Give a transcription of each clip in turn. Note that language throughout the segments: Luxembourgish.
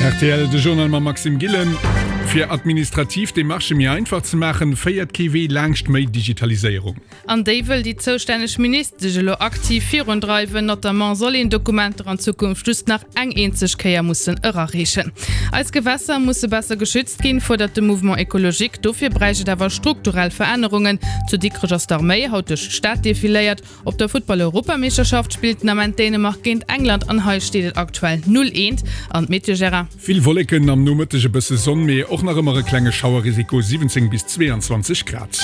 Rtl, De Journal mam Maxime Gillen. Fir administrativ Demarchë méi einfach ze maachen, féiert kee Wee laangscht méi Digitaliséierung. An déi wëll déi zoustänneg Ministesch elo aktiv virundreiwen. Notamment soll een Dokumenter an Zukunft just nach eng eenzeg Kéier mussen erareechen. Eis Gewässer musse besser geschützt ginn, fuerdert de Mouvement Ecologique. Dofir bräicht et awer strukturell Verännerungen. Zu Dikrech ass d'Arméi haut duerch d'Stad defiléiert. Op der Futtball-Europameeschterschaft spillt den Ament Dänemark géint England an hei steet et aktuell 0, 1. An d'Meteo, Gérard? Vill Wolleken, am Nomëtteg e bësse Sonn, mee och nach ëmmer e klenge Schauerrisiko, 17 bis 22 Grad.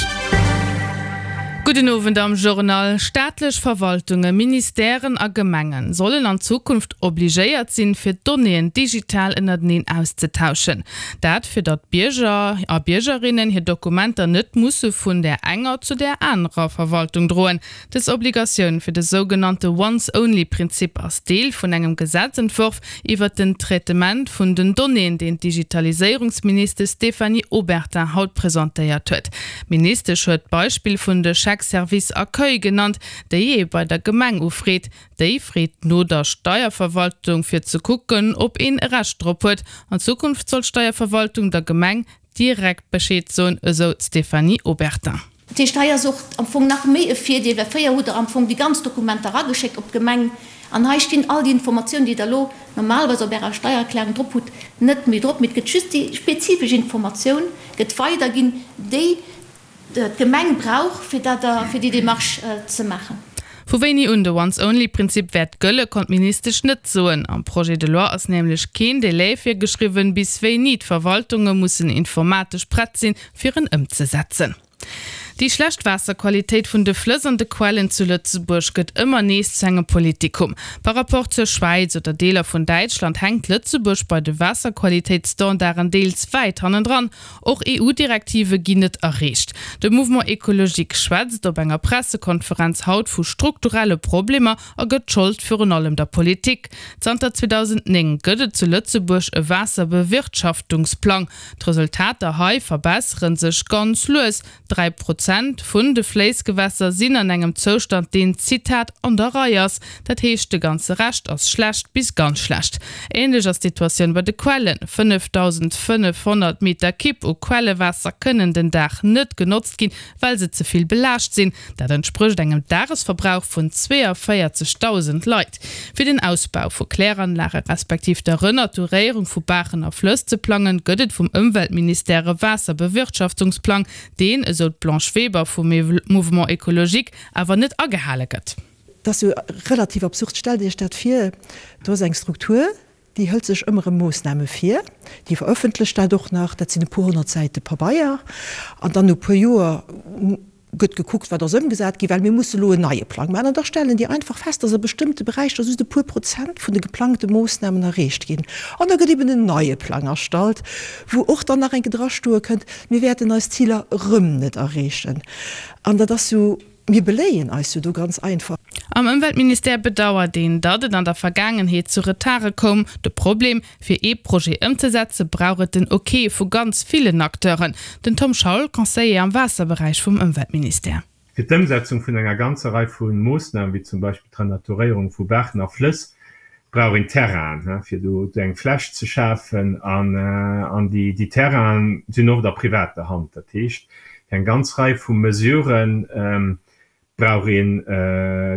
Gudden Owend am Journal. Staatlech Verwaltungen, Ministèren a Gemengen sollen an Zukunft obligéiert sinn, fir d'Donnéeën digital ënnerteneen auszetauschen. Dat fir datt d'Bierger a Biergerinnen hir Dokumenter net musse vun där enger zu där anerer Verwaltung droen. Dës Obligatioun fir de sougenannte Once-Only-Prinzip ass Deel vun engem Gesetzentworf iwwert den Traitement vun den Donnéeën, deen d'Digitaliséierungsministesch Stéphanie Obertin haut presentéiert huet. D'Ministesch huet d'Beispill vun de Chèques service accueil genannt, déi ee bei der Gemeng ufreet. Déi freet no der Steierverwaltung, fir ze kucken, ob een e Recht drop huet. An Zukunft soll d'Steierverwaltung der Gemeng direkt Bescheed soen, esou d'Stéphanie Obertin. Dat heescht, hei ass och am Fong nach méi e Virdeel, well fréier hutt Der am Fong déi ganz Dokumenter erageschéckt op d'Gemeng an hei stinn all déi Informatiounen, déi Der elo normalerweis op Ärer Steiererklärung drop hutt, net méi drop, mee et gëtt just déi spezifesch Informatioun gëtt weiderginn, déi d'Gemeng brauch, fir dat fir déi Démarche ze maachen. Vu wéini un de Once-Only-Prinzip wäert gëlle, konnt d'Ministesch net soen. Am Projet de loi ass nämlech keen Delai virgeschriwwen, bis wéini d'Verwaltunge mussen informatesch prett sinn, fir en ëmzesetzen. Déi schlecht Waasserqualitéit vun de Flëss an de Quellen zu Lëtzebuerg gëtt ëmmer nees zu engem Politikum. Par rapport zur Schwäiz oder Deeler vun Däitschland hänkt Lëtzebuerg bei de Waasserqualitéitsstandarden deels wäit hannendran. Och EU-Direktive ginn net erreecht. De Mouvement Ecologique schwätzt op enger Pressekonferenz haut vu strukturelle Problemer a gëtt d'Schold virun allem der Politik. Zanter 2009 gëtt et zu Lëtzebuerg e Waasserbewirtschaftungsplang. D'Resultater hei verbessere sech ganz lues, 3 Prozent vun de Fléissgewässer sinn an engem Zoustand, deen, Zitat, an der Rei ass. Dat heescht, de ganze Rescht ass schlecht bis ganz schlecht. Änlech ass d'Situatioun bei de Quellen, 5.500 Meter Kibb u Quellewaasser kënnen den Dag net genotzt ginn, well se ze vill belaascht sinn. Dat entsprécht engem Dagesverbrauch vun 42.000 Leit. Fir den Ausbau vu Kläranlage respektiv der Renaturéierung vu Baachen a Flëss ze plangen, gëtt et vum Ëmweltministère e Waasserbewirtschaftungsplang, deen, esou d'Blanche Weber vum Mouvement Ecologique, awer net agehale gëtt. Dat ass jo relativ absurd. Stellt Iech dat vir, do ass eng Struktur, Déi hëlt sech ëmmer erëm Moossname vir, déi verëffentlecht dat och nach, dat sinn e puer 100 Säite Pabeier, an dann no e puer Joer gëtt gekuckt, wat ass ëmgesat ginn, well mir musse elo en neie Plang maachen. An da stellen déi einfach fest, dass a bestëmmte Beräicher just e puer Prozent vun de geplangte Moossnamen erreecht ginn. An da gëtt eben en neie Plang erstallt, wou och dann nach eng Kéier drastoe kënnt, mir wäerten eis Ziler erëm net erreechen. An dat ass jo. Mir beléien eis jo do ganz einfach. Am Ëmweltministère bedauert een, datt et an der Vergaangenheet zu Retarde koum. De Problem, Fir ee Projet ëmzesetze brauch et den Ok vu ganz villen Acteuren. Den Tom Schaul, Conseiller am Waasserberäich vum Ëmweltministère. Fir d'Ëmsetzung vun enger ganzer Rei vu Moossnamen, wéi zum Beispill d'Renaturéierung vu Baachen a Flëss, brauch een Terrainen, fir do eng Fläch ze schafen. An déi Terrainen sinn oft a privater Hand. Dat heescht, fir eng ganz Rei vu Mesurë brauch een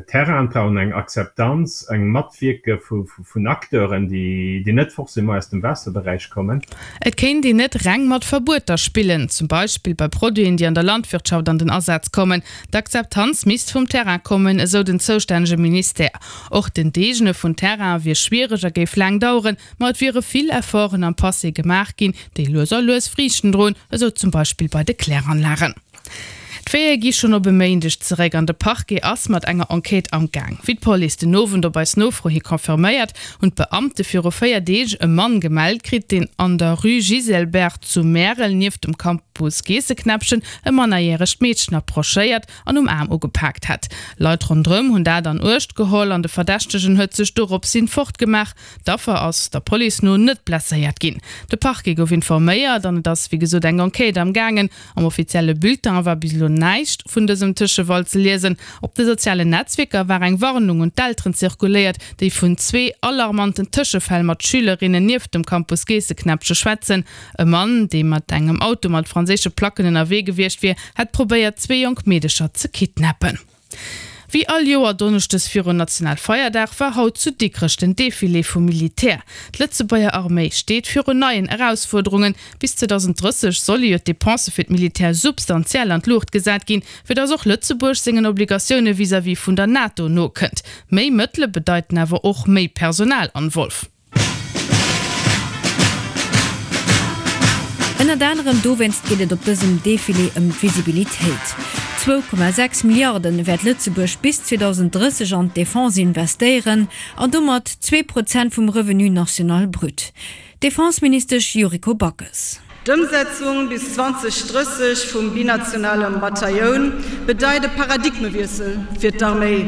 Terrainen, brauch een eng Akzeptanz, eng Matwierke vun Acteuren, déi net forcément aus dem Waasserberäich kommen. Et kéint een net reng mat Verbueter spillen, zum Beispill bei Produiten, déi an der Landwirtschaft an den Asaz kommen. D'Akzeptanz misst vum Terrain kommen, esou den zoustännege Ministère. Och d'Enteegene vun Terraine wier schwiereg a géif laang daueren, ma et wiere vill Efforten am Passé gemaach ginn, déi lues a lues Friichten droen, esou zum Beispill bei de Kläranlagen. D'Veillée gi schonn op e Méindeg zeréck an de Parquet ass mat enger Enquête am Gaang. Wéi d'Police den Owend op eis Nofro hi confirméiert, hunn d'Beamte viru 4 Deeg e Mann gemellt kritt, deen an der Rue Giselbert zu Märel nieft dem Campus Geesseknäppchen e mannerjäregt Meedchen approchéiert an um Aarm ugepaakt hätt. Leit ronderëm hunn dat an Uecht geholl an de Verdächtegen huet sech doropshin fortgemaach. D'Affer ass der Police no net blesséiert ginn. De Parquet gouf informéiert an et ass wéi gesot eng Enquête am gaangen. Am offizielle Bulletin war bis elo. näischt vun dësem Tëschefall ze liesen. Op de sozialen Netzwierker war eng Warnung un d'Elteren zirkuléiert, déi vun zwee alarmanten Tëschefäll mat Schülerinnen nieft dem Campus Geesseknäppche schwätzen. E Mann, dee mat engem Auto mat franséische Placken ënnerwee gewiescht wier, hätt probéiert, zwee jonk Meedecher ze kidnappen. Wéi all Joer donneschdes virun Nationalfeierdag war haut zu Dikrech den Defilé vum Militär. D'Lëtzebuerger Arméi steet virun neien Erausfuerderungen. Bis 2030 solle jo d'Depensë fir d'Militär substantiell an d'Luucht gesat ginn, fir datt och Lëtzebuerg sengen Obligatioune vis-à-vis vun der NATO nokënnt. Méi Mëttele bedeiten awer och méi Personal an Wolf. Ënnert anerem dowéinst geet et op dësem Defilé ëm d'Visibilitéit. Zwou Komma 6 Milliarden wäert Lëtzebuerg bis 2030 an d'Defense investéieren an domat 2% vum Revenu national brut. D'Defenseministesch Yuriko Backes. D'Ëmsetzung bis 2030 vum binationale Batailloun bedeit e Paradigmewiessel fir d'Arméi.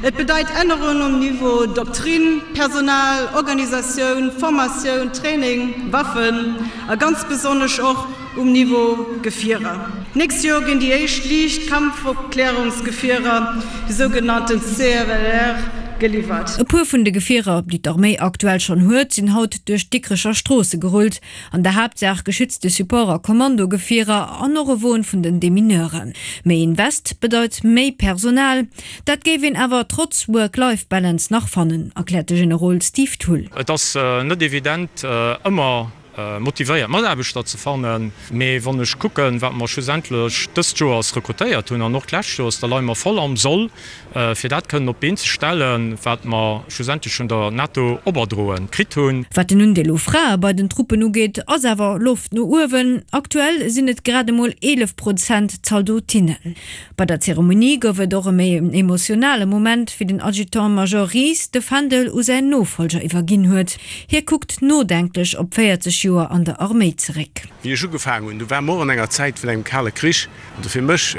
Et bedeit Ännerungen um Niveau Doktrinn, Personal, Organisatioun, Formatioun, Training, Waffen a ganz besonnesch och um Niveau Gefierer. D'nächst Joer ginn déi éischt liicht Kampfopklärungsgefierer, déi sougenannten CRLR, geliwwert. E puer vun de Gefierer, déi d'Arméi aktuell schonn huet, sinn haut duerch d'Dikrecher Stroosse gerullt. An der Haaptsaach geschützte Support a Kommandogefierer an och e Won vun den Demineuren. Méi Invest bedeit méi Personal. Dat géif een awer trotz Work-Life-Balance nach fannen, erkläert de Generol Steve Thull. Et ass net evident ëmmer motivéiert Mataarbechter ze fannen, mee wann ech kucken, wat mer schlussendlech dëst Joers rekrutéiert hunn an och d'lescht Joers, da leie mer voll am Soll. Fir dat kënnen op d'Been ze stellen, wat mer schlussendlech vun der NATO operdroen kritt hunn. Wat den Undeel u Frae bei den Truppen ugeet, ass awer Loft no uewen. Aktuell sinn et grad emol 11 Prozent Zaldotinnen. Bei der Zeremonie gouf et och e méi emotionale Moment, wéi den Adjutant-Major Ries de Fändel u säin Nofollger iwwerginn huet. Hie kuckt nodenklech op 40 Joer an der Arméi zeréck. Wéi ech ugefaangen hunn, du ware mer och an enger Zäit vun engem kale Krich. Also fir mech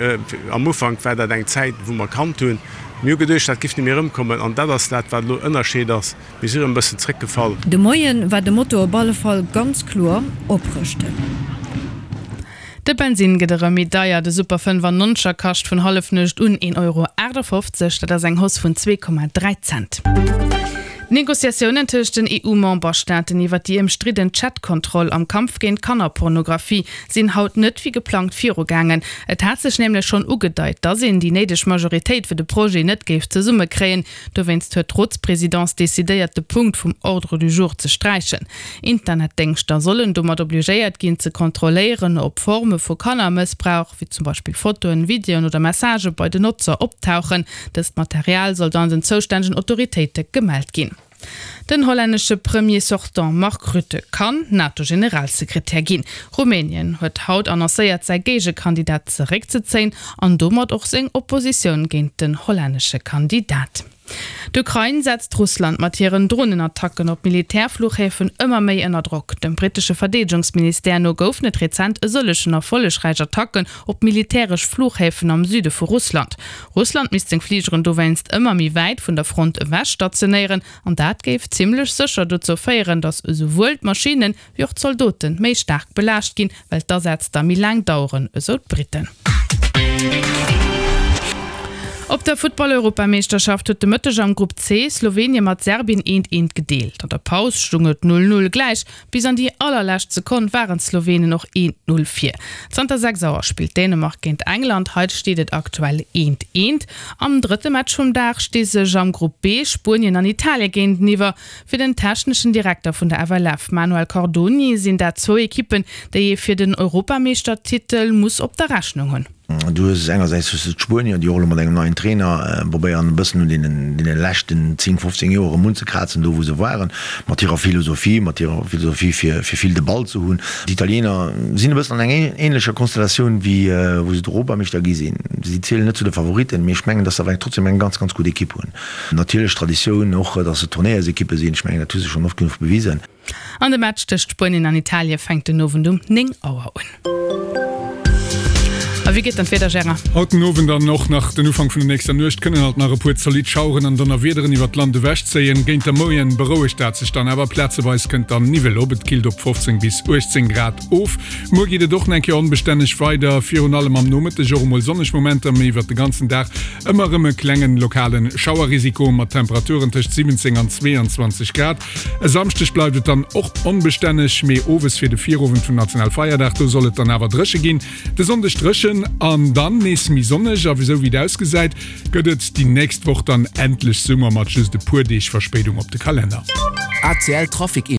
am Ufank war dat eng Zäit, wou mer kannt hunn. Mir hu geduecht, dat giff net méi erëmkommen. An dat ass dat, wat elo Ënnerscheed ass. Mir si erëm e bëssen zréckgefall. De Moien war de Motto op alle Fall ganz kloer, Oprëschten. De Bensinn gëtt erëm méi deier, de Super 95er kascht vun Hallefnuecht un 1,58 Euro, dat ass eng Hausse vun 2,3 Cent. D'Negociatiounen tëscht den EU-Memberstaaten iwwer déi ëmstridden Chat-Kontroll am Kampf géint Kannerpornografie sinn haut net wéi geplangt virugaangen. Et hat sech nämlech schonn ugedeit, datt een déi néideg Majoritéit fir de Projet net géif zesummekréien. Dowéinst huet d'Rotspresidence decidéiert, de Punkt vum Ordre du jour ze sträichen. Internetdéngschter sollen domat obligéiert ginn, ze kontrolléieren, ob Forme vu Kannermëssbrauch, wéi zum Beispill Fotoen, Videoen oder Messagë bei den Notzer optauchen. Dëst Material soll dann den zoustännegen Autoritéite gemellt ginn. Den hollännesche Premier sortant Mark Rutte kann NATO-Generalsekretär ginn. Rumänien huet haut annoncéiert, säi Géigekandidat zeréckzezéien an domat och seng Oppositioun géint den hollännesche Kandidat. D'Ukrain setzt Russland mat hiren Dronenattacken op Militärfluchhäfen ëmmer méi ënner Drock. Dem brittesche Verdeedegungsministère no goufen et rezent e sëllegen erfollegräich Attacken op militäresch Fluchhäfen am Süde vu Russland. Russland misst seng Fligeren dowéinst ëmmer méi wäit vun der Front ewech stationéieren an dat géif zimmlech sécher dozou féieren, datt esouwuel d'Maschinnen wéi och d'Zaldote méi staark belaascht ginn, well d'Asätz da méi laang daueren, esou d'Britten. Op der Futtball-Europameeschterschaft huet de Mëtteg am Grupp C Slowenien mat Serbien eent eent gedeelt. An der Paus stung et 0, 0 gläich. Bis an déi allerlescht Sekonn waren d'Slowenen och eent, 0 vir. Zanter 6 Auer spillt Dänemark géint England, hei steet et aktuell eent, eent. Am drëtte Match vum Dag sti sech am Grupp B Spuenien an Italien géinteniwwer. Fir den techneschen Direkter vun der FLF, Manuel Cardoni, sinn dat zwou Ekippen, déi ee fir den Europameeschtertitel muss op der Rechnung hunn. Du hues engersäits hues de d'Spuenier, déi och elo mat engem neien Trainer probéieren e bëssen un deenen deene leschten 10, 15 Joer erëm unzekrazen, do wou se waren, mat hirer Philosophie, mat hirer Philosophie fir fir vill de Ball ze hunn. D'Italiener sinn e bëssen an enger änlecher Konstellatioun wéi wou se d'Europameeschter gi sinn. Si zielen net zu de Favoritten, mee ech mengen, datt se awer trotzdem eng ganz, ganz gutt Ekipp hunn. Natierlech Traditioun och, dass se Turnéiersekippe sinn. Ech mengen, dat hu se schonn oft genuch bewisen. An de Match tëscht Spuenien an Italie fänkt den Owend um 9 Auer un. A wéi geet dann d'Wieder, Gérard? Haut den Owend an och nach den Ufank vun der nächster Nuecht kënnen alt nach e puer zolidd Schaueren an Donnerwiederen iwwert d'Land ewechzéien. Géint der Moien berouegt dat sech dann awer, plazeweis kënnt dann Niwwel op. Et killt op 15 bis 18 Grad of. Muer geet et och nach eng Kéier onbestänneg weider, virun allem am Nomëtteg och emol sonneg Momenter, mee iwwert de ganzen Dag ëmmer erëm e klengen lokale Schauerrisiko mat Temperaturen tëscht 17 an 22 Grad. E Samschdeg bleift et dann och onbestänneg, mee owes fir de Virowend vum Nationalfeierdag, do soll et dann awer dréche ginn. De Sonndeg dréchen an dann nees méi sonneg a esou wéi et ausgesäit, gëtt et déi nächst Woch dann endlech Summer mat just e puer Deeg Verspéidung op de Kalenner. ACL Trafic.